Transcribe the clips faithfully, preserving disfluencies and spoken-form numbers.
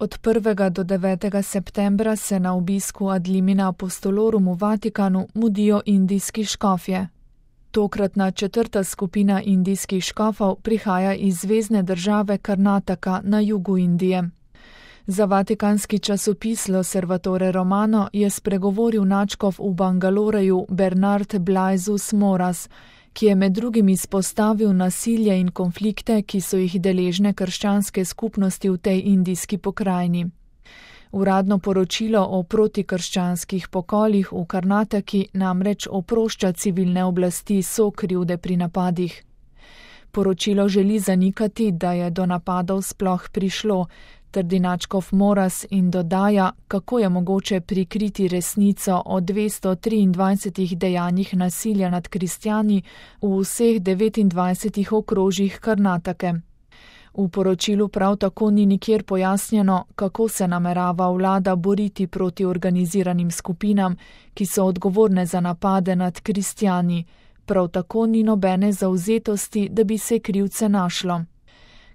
Od prvega do devetega septembra se na obisku ad limina apostolorum v Vatikanu mudijo indijski škofje. Tokratna četrta skupina indijskih škofov prihaja iz zvezne države Karnataka na jugu Indije. Za vatikanski časopis L'Osservatore Romano je spregovoril nadškof v Bangaloreju Bernard Blaisus Moras, ki je med drugim izpostavil nasilje in konflikte, ki so jih deležne krščanske skupnosti v tej indijski pokrajini. Uradno poročilo o protikrščanskih pokolih v Karnataki namreč oprošča civilne oblasti sokrivde pri napadih. Poročilo želi zanikati, da je do napadov sploh prišlo, trdi nadškof Moras in dodaja, kako je mogoče prikriti resnico o dvesto triindvajsetih dejanjih nasilja nad kristjani v vseh devetindvajsetih okrožjih Karnatake. V poročilu prav tako ni nikjer pojasnjeno, kako se namerava vlada boriti proti organiziranim skupinam, ki so odgovorne za napade nad kristjani, prav tako ni nobene zavzetosti, da bi se krivce našlo.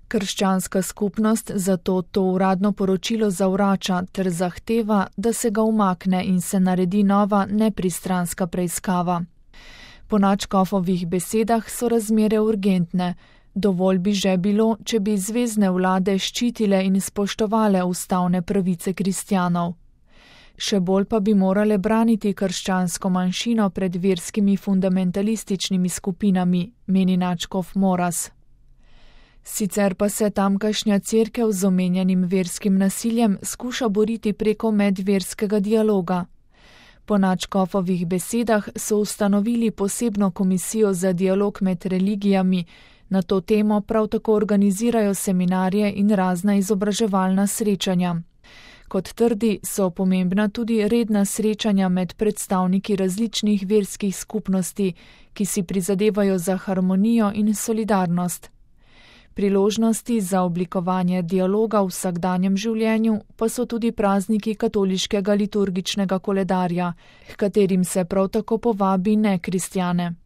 Krščanska skupnost zato to uradno poročilo zavrača ter zahteva, da se ga umakne in se naredi nova nepristranska preiskava. Po nadškofovih besedah so razmere urgentne. Dovolj bi že bilo, če bi zvezne vlade ščitile in spoštovale ustavne pravice kristjanov. Še bolj pa bi morale braniti krščansko manjšino pred verskimi fundamentalističnimi skupinami, meni nadškof Moras. Sicer pa se tamkajšnja cerkev z omenjenim verskim nasiljem skuša boriti preko medverskega dialoga. Po nadškofovih besedah so ustanovili posebno komisijo za dialog med religijami, na to temo prav tako organizirajo seminarje in razna izobraževalna srečanja. Kot trdi, so pomembna tudi redna srečanja med predstavniki različnih verskih skupnosti, ki si prizadevajo za harmonijo in solidarnost. Priložnosti za oblikovanje dialoga v vsakdanjem življenju pa so tudi prazniki katoliškega liturgičnega koledarja, h katerim se prav tako povabi nekristjane.